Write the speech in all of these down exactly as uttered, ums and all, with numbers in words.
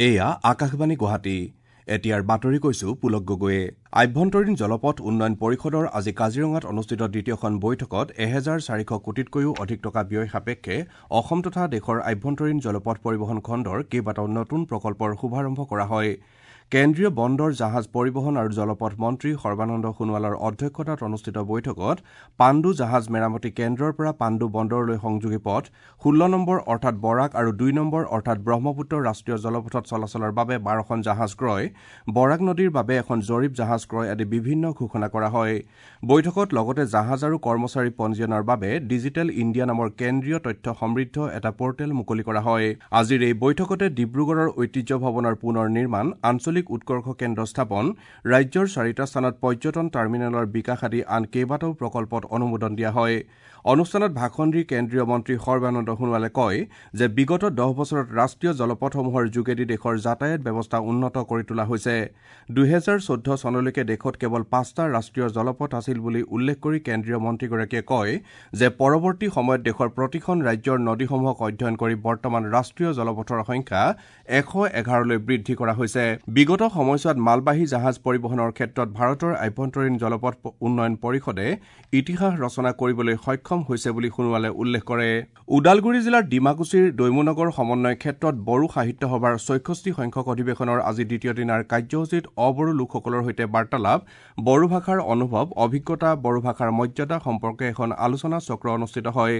এয়া আকাশবাণী গুৱাহাটী। এতিয়াৰ বাতৰি কৈছো পুলক গগৈয়ে। আভ্যন্তৰীণ জলপথ উন্নয়ন পৰিষদৰ আজি কাজিৰঙাত অনুষ্ঠিত দ্বিতীয়খন বৈঠকত এহেজাৰ চাৰিশ কোটিতকৈও অধিক টকা ব্যয় সাপেক্ষে অসম তথা দেশৰ আভ্যন্তৰীণ জলপথ পৰিবহণ খণ্ডৰ কেইবাটাও নতুন প্ৰকল্পৰ শুভাৰম্ভ কৰা হয়। কেন্দ্ৰীয় বন্দৰ জাহাজ পৰিবহণ আৰু জলপথ মন্ত্ৰী সৰ্বানন্দ সোণোৱালৰ অধ্যক্ষতাত অনুষ্ঠিত বৈঠকত পাণ্ডু জাহাজ মেৰামতি কেন্দ্ৰৰ পৰা পাণ্ডু বন্দৰলৈ সংযোগী পথ, ষোল্ল নম্বৰ অৰ্থাৎ বৰাক আৰু দুই নম্বৰ অৰ্থাৎ ব্ৰহ্মপুত্ৰ ৰাষ্ট্ৰীয় জলপথত চলাচলৰ বাবে বাৰখন জাহাজ ক্ৰয়, বৰাক নদীৰ বাবে এখন জৰীপ জাহাজ ক্ৰয় আদি বিভিন্ন ঘোষণা কৰা হয়। বৈঠকত লগতে জাহাজ আৰু কৰ্মচাৰী পঞ্জীয়নৰ বাবে ডিজিটেল ইণ্ডিয়া নামৰ কেন্দ্ৰীয় তথ্য সমৃদ্ধ এটা পৰ্টেল মুকলি কৰা হয়। আজিৰ এই বৈঠকতে ডিব্ৰুগড়ৰ ঐতিহ্য ভৱনৰ পুনৰ নিৰ্মাণ, আঞ্চলিক উৎকৰ্ষ কেন্দ্ৰ স্থাপন, ৰাজ্যৰ চাৰিটা স্থানত পৰ্যটন টাৰ্মিনেলৰ বিকাশ আদি আন কেইবাটাও প্ৰকল্পত অনুমোদন দিয়া হয়। অনুষ্ঠানত ভাষণ দি কেন্দ্ৰীয় মন্ত্ৰী সৰ্বানন্দ সোণোৱালে কয় যে বিগত দহ বছৰত ৰাষ্ট্ৰীয় জলপথসমূহৰ যোগেদি দেশৰ যাতায়াত ব্যৱস্থা উন্নত কৰি তোলা হৈছে। দুহেজাৰ চৈধ্য চনলৈকে দেশত কেৱল পাঁচটা ৰাষ্ট্ৰীয় জলপথ আছিল বুলি উল্লেখ কৰি কেন্দ্ৰীয় মন্ত্ৰীগৰাকীয়ে কয় যে পৰৱৰ্তী সময়ত দেশৰ প্ৰতিখন ৰাজ্যৰ নদীসমূহক অধ্যয়ন কৰি বৰ্তমান ৰাষ্ট্ৰীয় জলপথৰ সংখ্যা এশ এঘাৰলৈ বৃদ্ধি কৰা হৈছে। বিগত সময়ছোৱাত মালবাহী জাহাজ পৰিবহণৰ ক্ষেত্ৰত ভাৰতৰ আভ্যন্তৰীণ জলপথ উন্নয়ন পৰিষদে ইতিহাস ৰচনা কৰিবলৈ সক্ষম হৈছে বুলি সোণোৱালে উল্লেখ কৰে। ওদালগুৰি জিলাৰ ডিমাকুছিৰ দৈমুনগৰ সমন্বয় ক্ষেত্ৰত বড়ো সাহিত্য সভাৰ ছয়ষষ্ঠি সংখ্যক অধিৱেশনৰ আজি দ্বিতীয় দিনাৰ কাৰ্যসূচীত অবড়ো লোকসকলৰ সৈতে বাৰ্তালাপ, বড়ো ভাষাৰ অনুভৱ, অভিজ্ঞতা, বড়ো ভাষাৰ মৰ্যাদা সম্পৰ্কে এখন আলোচনা চক্ৰ অনুষ্ঠিত হয়।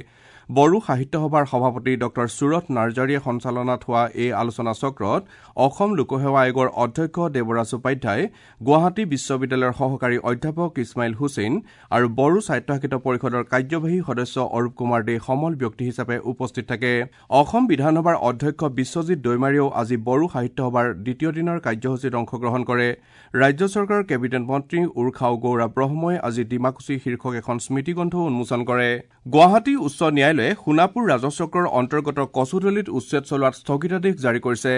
বড়ো সাহিত্য সভাৰ সভাপতি ডক্টৰ সুৰথ নাৰ্জাৰীয়ে সঞ্চালনাত হোৱা এই আলোচনা চক্ৰত অসম লোকসেৱা আয়োগৰ অধ্যক্ষ দেৱৰাজ উপাধ্যায়, গুৱাহাটী বিশ্ববিদ্যালয়ৰ সহকাৰী অধ্যাপক ইছমাইল হুছেইন আৰু বড়ো স্বায়ত্তশাসিত পৰিষদৰ কাৰ্যবাহী সদস্য অৰূপ কুমাৰ দে সমল ব্যক্তি হিচাপে উপস্থিত থাকে। অসম বিধানসভাৰ অধ্যক্ষ বিশ্বজিৎ দৈমাৰীয়েও আজি বড়ো সাহিত্য সভাৰ দ্বিতীয় দিনৰ কাৰ্যসূচীত অংশগ্ৰহণ কৰে। ৰাজ্য চৰকাৰৰ কেবিনেট মন্ত্ৰী উৰ্খাও গৌৰা ব্ৰহ্মই আজি ডিমাকুছি শীৰ্ষক এখন স্মৃতিগ্ৰন্থও উন্মোচন কৰে। গুৱাহাটী উচ্চ ন্যায়ালয়ে সোণাপুৰ ৰাজহ চক্ৰৰ অন্তৰ্গত কচুতলিত উচ্ছেদ চলোৱাত স্থগিতাদেশ জাৰি কৰিছে।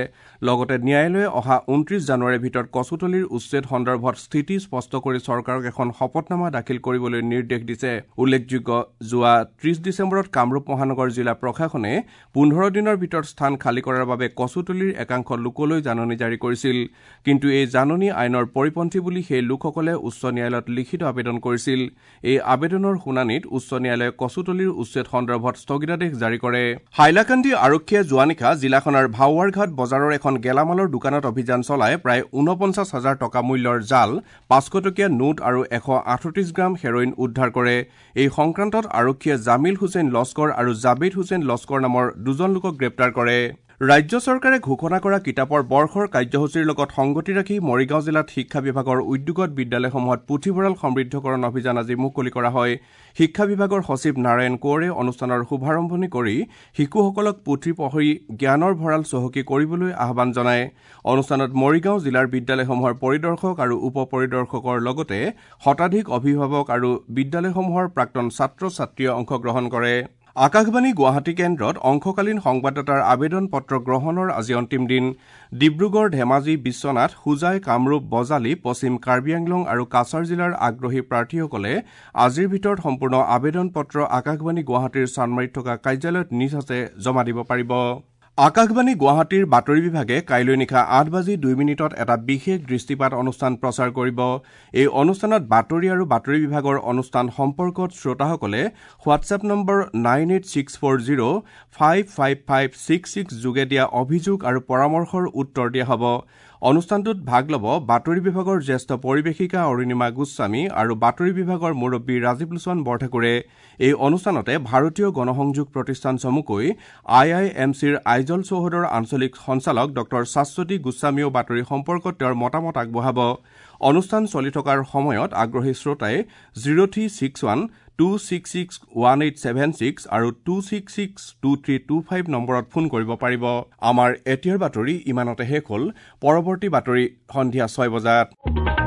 লগতে ন্যায়ালয়ে অহা ঊনত্ৰিশ জানুৱাৰীৰ ভিতৰত কচুতলিৰ উচ্ছেদ সন্দৰ্ভত স্থিতি স্পষ্ট কৰি চৰকাৰক এখন শপতনামা দাখিল কৰিবলৈ নিৰ্দেশ দিছে। উল্লেখযোগ্য, যোৱা ত্ৰিশ ডিচেম্বৰত কামৰূপ মহানগৰ জিলা প্ৰশাসনে পোন্ধৰ দিনৰ ভিতৰত স্থান খালী কৰাৰ বাবে কচুতলিৰ একাংশ লোকলৈ জাননী জাৰি কৰিছিল। কিন্তু এই জাননী আইনৰ পৰিপন্থী বুলি সেই লোকসকলে উচ্চ ন্যায়ালয়ত লিখিত আবেদন কৰিছিল। এই আবেদনৰ শুনানিত উচ্চ ন্যায়ালয়ে কচুতলিৰ উচ্ছেদ সন্দৰ্ভত স্থগিতাদেশ জাৰি কৰে। হাইলাকান্দি আৰক্ষীয়ে যোৱা নিশা জিলাখনৰ ভাওৱাৰঘাট বজাৰৰ এখন গেলামালৰ দোকানত অভিযান চলাই প্ৰায় ঊনপঞ্চাছ হাজাৰ টকা মূল্যৰ জাল, পাঁচশ টকীয়া নোট আৰু এশ আঠত্ৰিশ গ্ৰাম হেৰইন উদ্ধাৰ কৰে। এই সংক্ৰান্তত আৰক্ষীয়ে জামিল হুছেইন লস্কৰ আৰু জাবেদ হুছেইন লস্কৰ নামৰ দুজন লোকক গ্ৰেপ্তাৰ কৰে। ৰাজ্য চৰকাৰে ঘোষণা কৰা কিতাপৰ বৰ্ষৰ কাৰ্যসূচীৰ লগত সংগতি ৰাখি মৰিগাঁও জিলাত শিক্ষা বিভাগৰ উদ্যোগত বিদ্যালয়সমূহত পুথিভঁৰাল সমৃদ্ধকৰণ অভিযান আজি মুকলি কৰা হয়। শিক্ষা বিভাগৰ সচিব নাৰায়ণ কোঁৱৰে অনুষ্ঠানৰ শুভাৰম্ভণি কৰি শিশুসকলক পুথি পঢ়ি জ্ঞানৰ ভঁৰাল চহকী কৰিবলৈ আহ্বান জনায়। অনুষ্ঠানত মৰিগাঁও জিলাৰ বিদ্যালয়সমূহৰ পৰিদৰ্শক আৰু উপ পৰিদৰ্শকৰ লগতে শতাধিক অভিভাৱক আৰু বিদ্যালয়সমূহৰ প্ৰাক্তন ছাত্ৰ ছাত্ৰীয়ে অংশগ্ৰহণ কৰে। আকাশবাণী গুৱাহাটী কেন্দ্ৰত অংশকালীন সংবাদদাতাৰ আবেদন পত্ৰ গ্ৰহণৰ আজি অন্তিম দিন। ডিব্ৰুগড়, ধেমাজি, বিশ্বনাথ, হোজাই, কামৰূপ, বজালী, পশ্চিম কাৰ্বি আংলং আৰু কাছাৰ জিলাৰ আগ্ৰহী প্ৰাৰ্থীসকলে আজিৰ ভিতৰত সম্পূৰ্ণ আবেদন পত্ৰ আকাশবাণী গুৱাহাটীৰ চানমাৰীত থকা কাৰ্যালয়ত নিজ হাতে জমা দিব পাৰিব। আকাশবাণী গুৱাহাটীৰ বাতৰি বিভাগে কাইলৈ নিশা আঠ বাজি দুই মিনিটত এটা বিশেষ দৃষ্টিপাত অনুষ্ঠান প্ৰচাৰ কৰিব। এই অনুষ্ঠানত বাতৰি আৰু বাতৰি বিভাগৰ অনুষ্ঠান সম্পৰ্কত শ্ৰোতাসকলে WhatsApp number nine eight six four zero five five five six six যোগে দিয়া অভিযোগ আৰু পৰামৰ্শৰ উত্তৰ দিয়া হ'ব। অনুষ্ঠানটোত ভাগ ল'ব বাতৰি বিভাগৰ জ্যেষ্ঠ পৰিৱেশিকা অৰুণিমা গোস্বামী আৰু বাতৰি বিভাগৰ মুৰব্বী ৰাজীৱ লোচন বৰঠাকুৰে। এই অনুষ্ঠানতে ভাৰতীয় গণসংযোগ প্ৰতিষ্ঠান চমুকৈ আই I am চিৰ আইজল চৌহদৰ আঞ্চলিক সঞ্চালক ডক্টৰ শাশ্বতী গোস্বামীয়েও বাতৰি সম্পৰ্কত তেওঁৰ মতামত আগবঢ়াব। অনুষ্ঠান চলি থকাৰ সময়ত আগ্ৰহী শ্ৰোতাই zero three six one two six six one eight seven six আৰু two six six two three two five নম্বৰত ফোন কৰিব পাৰিব। আমাৰ এতিয়াৰ বাতৰি ইমানতে শেষ হ'ল। পৰৱৰ্তী বাতৰি সন্ধিয়া ছয় বজাত।